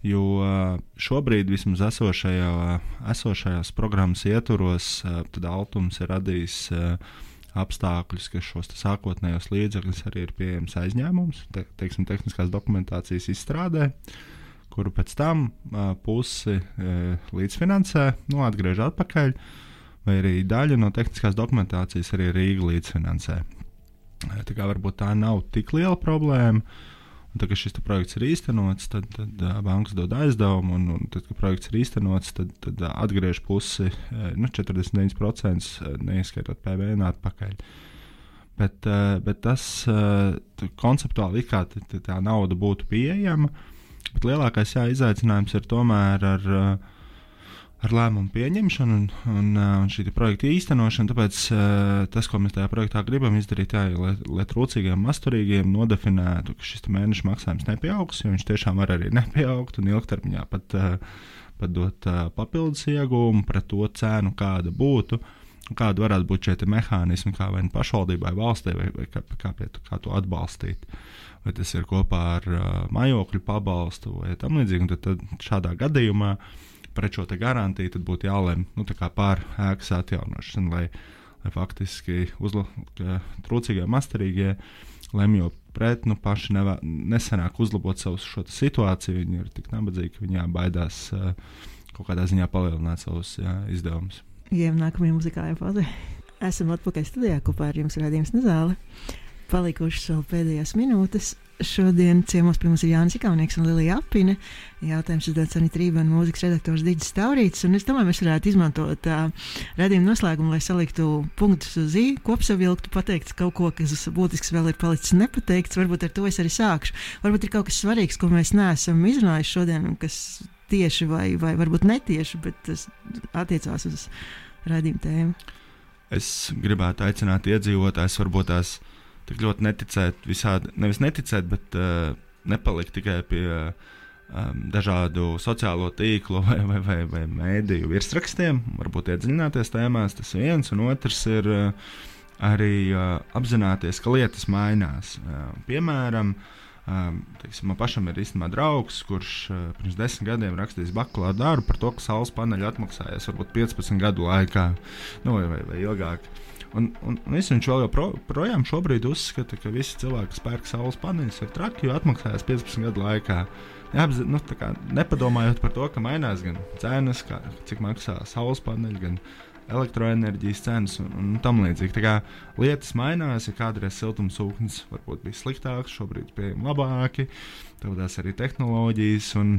Jo šobrīd vismaz esošajā, esošajās programmas ietvaros tad Altums ir radījis apstākļus, ka šos sākotnējos līdzekļus arī ir pieejams aizņēmums, te, teiksim, tehniskās dokumentācijas izstrādē, kuru pēc tam pusi līdzfinansē, nu, atgriež atpakaļ, vai arī daļa no tehniskās dokumentācijas arī Rīga līdzfinansē. Tā kā varbūt tā nav tik liela problēma. Un tad, kad šis projekts ir īstenots, tad, tad uh, bankas dod aizdevumu, un, un tad, kad projekts ir īstenots, tad, tad uh, atgriež pusi, uh, nu, četrdesmit deviņi procenti, uh, neieskaitot P V N atpakaļ. Bet, uh, bet tas uh, konceptuāli it kā t, t, tā nauda būtu pieejama, bet lielākais jā, izaicinājums ir tomēr ar, uh, ar lēmumu pieņemšanu un, un, uh, un šī projekta īstenošanu. Tāpēc uh, tas, ko mēs tajā projektā gribam izdarīt, jā, lai, lai trūcīgiem, masturīgiem nodefinētu, ka šis mēneša maksājums nepieaugs, jo viņš tiešām var arī nepieaugt un ilgtermiņā pat, uh, pat dot uh, papildus iegūmu pret to cenu, kāda būtu, kāda varētu būt šie mehānismi, kā vai pašvaldībai, valstī, vai, vai kā, kā, pie, kā to atbalstīt. Vai tas ir kopā ar uh, mājokļu pabalstu vai tam līdzīgi, un tad, tad šādā gadījumā pret šo garantiju tad būtu jālem nu, pār ēkas atjaunošanu, lai, lai faktiski uzla, trūcīgie, masturīgie lemjo pret, nu paši nevā, nesenāk uzlabot savu šo situāciju. Viņi ir tik nabadzīgi, ka viņi baidās uh, kaut kādā ziņā palielināt savus jā, izdevumus. Ejam nākamajā muzikālajā fazē. Esam atpakaļ studijā, kopā ar jums raidījums Nezāle. Palikušas vēl pēdējās minūtes. Šodien ciemos pie mums ir Jānis Ikaunieks un Lilija Apine. Jautājums uzdod Sanita Rība un mūzikas redaktors Diģis Taurītis. Un es domāju, mēs varētu izmantot uh, raidījumu noslēgumu, lai saliktu punktus uz ī, kopsavilktu, pateikt kaut ko, kas būtisks vēl ir palicis nepateikts. Varbūt ar to es arī sākšu. Varbūt ir kaut kas svarīgs, ko mēs neesam izrunājuši šodien, un kas tieši vai, vai varbūt netieši, bet tas attiecās uz raidījumu tēmu. es gribētu aicināt iedzīvotājus varbūt tās tik ļoti neticēt visādi, nevis neticēt, bet uh, nepalikt tikai pie um, dažādu sociālo tīklu vai, vai, vai, vai mēdīju virsrakstiem, varbūt iedziļināties tēmās, tas viens, un otrs ir uh, arī uh, apzināties, ka lietas mainās. Uh, piemēram, uh, teiksim, man pašam ir īstenībā draugs, kurš uh, pirms desmit gadiem rakstījis bakalaura darbu par to, ka saules paneļi atmaksājas varbūt piecpadsmit gadu laikā, nu, vai, vai, vai ilgāk. Un, un, un es viņš vēl joprojām šobrīd uzskata, ka visi cilvēki, kas pērk saules paneļus, ir traki, jo atmaksājas piecpadsmit gadu laikā. Jāapz, nu, tā kā nepadomājot par to, ka mainās gan cenas, kā, cik maksā saules paneļi, gan elektroenerģijas cenas un, un tam līdzīgi. Tā kā lietas mainās, ja kādreiz siltumsūknis varbūt bija sliktāks, šobrīd pieejami labāki, tādās arī tehnoloģijas un,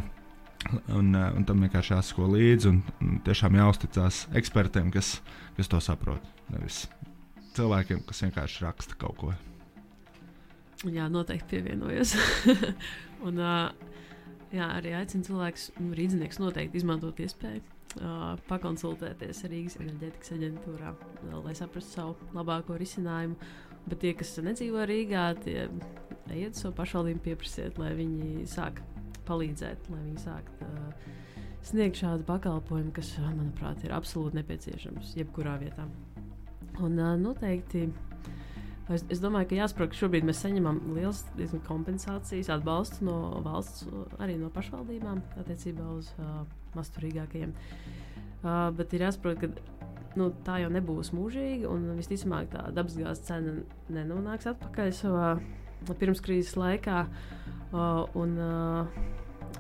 un, un tam vienkārši jāsako līdzi un, un tiešām jāuzticās ekspertiem, kas, kas to saprot, nevis cilvēkiem, kas vienkārši raksta kaut ko. Jā, noteikti pievienojos. un jā, arī aicinu cilvēkus, nu, rīdzinieks noteikti izmantot iespēju. Uh, pakonsultēties ar Rīgas enerģētikas aģentūrā, lai saprastu savu labāko risinājumu. Bet tie, kas nedzīvo Rīgā, tie ejiet savu pašvaldību pieprasiet, lai viņi sāk palīdzēt, lai viņi sāk uh, sniegt šādu pakalpojumu, kas, manuprāt, ir absolūti nepieciešams jebkurā vietā. Un uh, noteikti es, es domāju, ka jāsaprot, ka šobrīd mēs saņemam liels kompensācijas atbalstu no valsts, arī no pašvaldībām attiecībā uz uh, masturīgākajiem. Uh, bet ir jāsaprot, ka nu, tā jau nebūs mūžīgi, un visticamāk tā dabasgāzes cena nenonāks atpakaļ savā pirmskrīzes laikā. Uh, un, uh,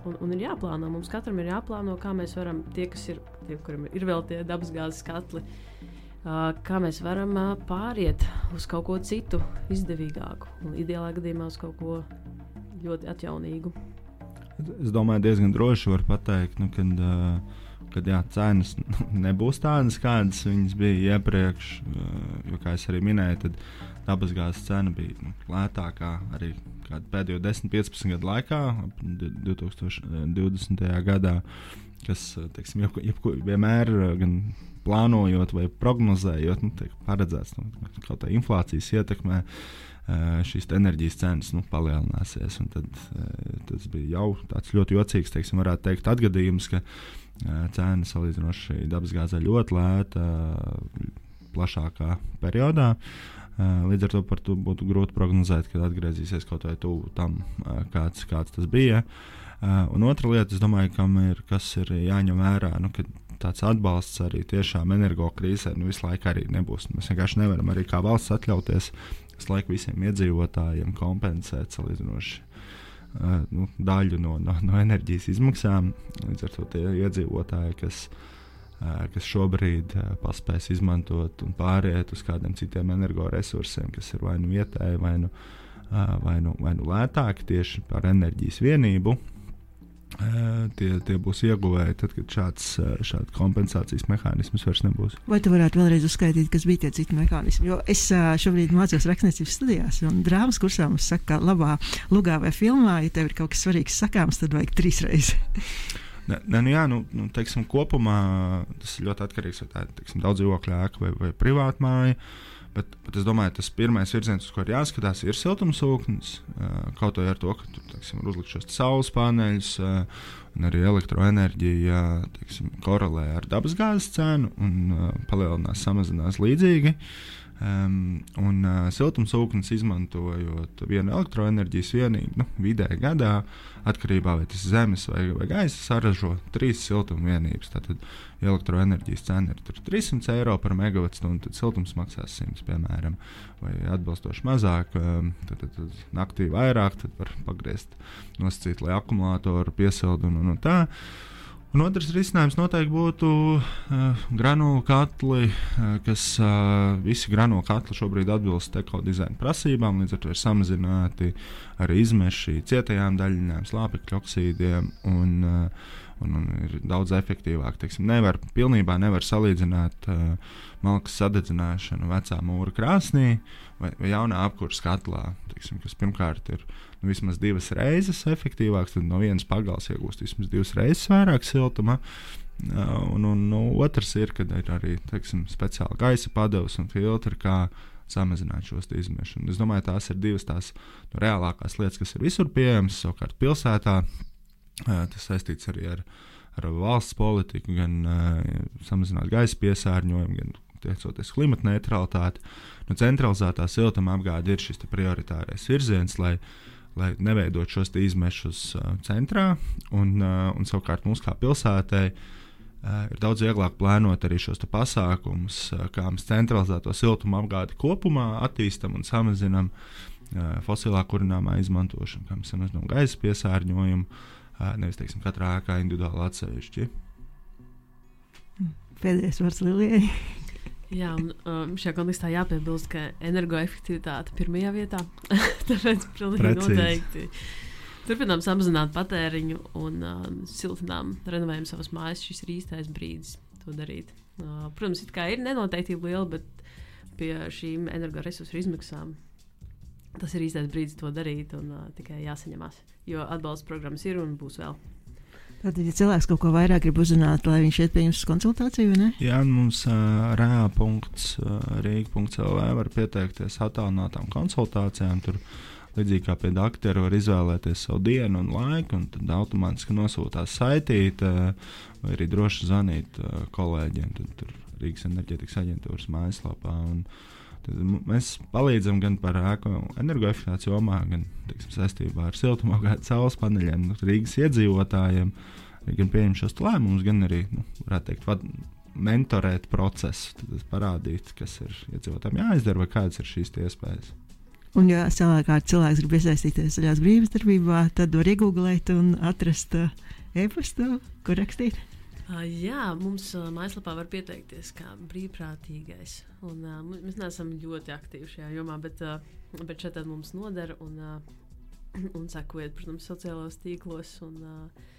un, un ir jāplāno, mums katram ir jāplāno, kā mēs varam, tie, kas ir, tie, kuriem ir vēl tie dabasgāzes katli, uh, kā mēs varam uh, pāriet uz kaut ko citu izdevīgāku, un ideālā gadījumā uz kaut ko ļoti atjaunīgu. Es domāju, diezgan droši var pateikt, nu, kad, uh, kad jā, cenas nebūs tādas, kādas viņas bija iepriekš. Uh, jo, kā es arī minēju, tad dabasgāzes cena bija nu, lētākā arī pēdējo desmit līdz piecpadsmit gadu laikā, divi tūkstoši divdesmitajā gadā, kas teiksim, jeb, jeb, vienmēr gan plānojot vai prognozējot, nu, tiek paredzēts nu, kaut kā inflācijas ietekmē. Šīs enerģijas cenas nu, palielināsies. Tad, tas bija jau tāds ļoti jocīgs, teiksim, varētu teikt, atgadījums, ka cena salīdzinoši dabasgāzē ļoti lēta plašākā periodā. Līdz ar to par to būtu grūti prognozēt, kad atgriezīsies kaut vai tuvu tam, kāds, kāds tas bija. Un otra lieta, es domāju, kam ir, kas ir jāņem vērā, nu, ka tāds atbalsts arī tiešām energokrīzē nu, visu laiku arī nebūs. Mēs vienkārši nevaram arī kā valsts atļauties visu laiku visiem iedzīvotājiem kompensēt salīdzinoši uh, nu, daļu no, no, no enerģijas izmaksām. Līdz ar to tie iedzīvotāji, kas, uh, kas šobrīd uh, paspēs izmantot un pāriet uz kādiem citiem energoresursiem, kas ir vai nu vietēji, vai nu, uh, vai nu, vai nu lētāki tieši par enerģijas vienību, uh, tie, tie būs ieguvēji tad, kad šāds, šāds kompensācijas mehānisms vairs nebūs. Vai tu varētu vēlreiz uzskaitīt, kas bija tie citi mehānismi? Jo es šobrīd mācos rakstniecības studijās, un drāmas kursā mums saka, ka labā lugā vai filmā, ja tev ir kaut kas svarīgs sakāms, tad vajag trīs reizes. Ne, ne, nu jā, nu, nu, teiksim, kopumā tas ir ļoti atkarīgs, vai tā ir teiksim, daudz dzīvokļu ēka vai, vai privāta māja. Bet, bet es domāju, tas pirmais virziens, uz ko ir jāskatās, ir siltumsūknis. Kaut vai ar to, ka tur teiksim, ir uzlikt šos saules paneļus, un arī elektroenerģija teiksim, korelē ar dabasgāzes cenu un palielinās, samazinās līdzīgi. Um, un uh, siltumsūknis izmantojot vienu elektroenerģijas vienību, nu, vidēji gadā, atkarībā vai tas zemes vai, vai gaisa, saražo trīs siltumvienības. Tātad elektroenerģijas cena ir trīs simti eiro par megavatstundu, tad siltums maksās simts, piemēram, vai atbilstoši mazāk, um, tad, tad, tad naktī vairāk, tad var pagriezt, nosacīt, lai akumulātoru piesildu un, un, un tā. Un otrs risinājums noteikti būtu uh, granulu katli, uh, kas uh, visi granulu katli šobrīd atbilst ekodizaina prasībām, līdz ar to ir samazināti arī izmeši cietajām daļiņām, slāpekļu oksīdiem un, uh, un, un ir daudz efektīvāk. Teiksim, nevar, pilnībā nevar salīdzināt uh, malkas sadedzināšanu vecā mūra krāsnī vai, vai jaunā apkurs katlā, teiksim, kas pirmkārt ir nu, vismaz divas reizes efektīvāks, tad no vienas pagals iegūst vismaz divas reizes vairāk siltuma. Un, un nu, otrs ir, kad ir arī teiksim, speciāli gaisa padevs un filtri, kā samazināt šos izmešus. Es domāju, tās ir divas tās nu, reālākās lietas, kas ir visur pieejamas. Savukārt pilsētā tas saistīts arī ar, ar valsts politiku, gan uh, samazināt gaisa piesārņojumu, gan tiecoties klimata neutralitāti. Nu, centralizētā siltuma apgāde ir šis prioritārais virziens, lai, lai neveidot šos izmešus uh, centrā, un, uh, un savukārt mums kā pilsētai uh, ir daudz vieglāk plānot arī šos pasākumus, uh, kā mēs centralizēto siltuma apgādi kopumā attīstam un samazinam uh, fosilā kurināmā izmantošanu, kā mēs samazinām gaisa piesārņojumu, uh, nevis, teiksim, katrā ēkā individuāli atsevišķi. Pēdējais vārds Lilijai. Jā, un um, šajā kontekstā jāpiebilst, ka energoefektivitāte pirmajā vietā. Tāpēc pilnīgi Precīzi. Noteikti turpinām samazināt patēriņu un uh, siltinām, renovējam savas mājas. Šis ir īstais brīdis to darīt. Uh, protams, it kā ir nenoteiktība liela, bet pie šīm energoresursu izmaksām tas ir īstais brīdis to darīt un uh, tikai jāsaņemās. Jo atbalsta programmas ir un būs vēl. Tātad, ja cilvēks kaut ko vairāk grib uzzināt, lai viņš iet pie jums uz konsultāciju, vai ne? Jā, mums uh, r a punkts rīga punkts l v var pieteikties attālinātām konsultācijām. Tur līdzīgi kā pie doktora var izvēlēties savu dienu un laiku, un tad automātiski nosūtās saitīt, uh, vai arī droši zvanīt uh, kolēģiem. Tad tur Rīgas enerģētikas aģentūras mājaslapā. Un tad mēs palīdzam gan par ēku energoefektivitātes jomā, gan teiksim, saistībā ar siltumapgādi saules paneļiem, Rīgas iedzīvotājiem, gan pieņem šos lēmumus, gan arī, nu, varētu teikt, vad, mentorēt procesu, tad parādīt, kas ir iedzīvotājiem jāizdara, vai kādas ir šīs iespējas. Un, ja savukārt cilvēks grib iesaistīties zaļās brīvības darbībā, tad var iegūglēt un atrast uh, e-pastu, kur rakstīt. Uh, jā, mums uh, mājaslapā var pieteikties kā brīvprātīgais. Un, uh, mēs neesam ļoti aktīvi šajā jomā, bet, uh, bet šeit mums nodara un, uh, un sekojiet, protams, sociālos tīklos un, uh,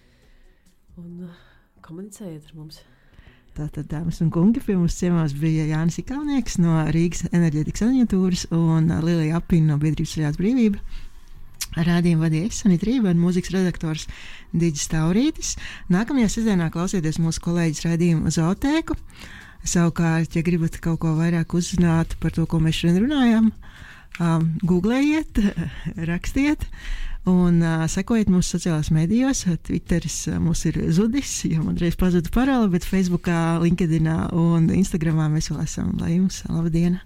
un uh, komunicējiet ar mums. Tātad, dāmas un kungi, pie mums ciemās bija Jānis Ikaunieks no Rīgas enerģētikas aģentūras un uh, Lilija Apina no biedrības Zaļās brīvība. Rādījumu vadīja es, Sanita Rība, un mūzikas redaktors Digis Taurītis. Nākamajā sestdienā klausieties mūsu kolēģis raidījumu Zootēku. Savukārt, ja gribat kaut ko vairāk uzzināt par to, ko mēs šodien runājam, um, googlējiet, rakstiet un uh, sekojiet mūsu sociālās medijos. Twitteris uh, mums ir zudis, jo man reiz pazuda parole, bet Facebookā, LinkedInā un Instagramā mēs vēl esam. Lai jums laba diena!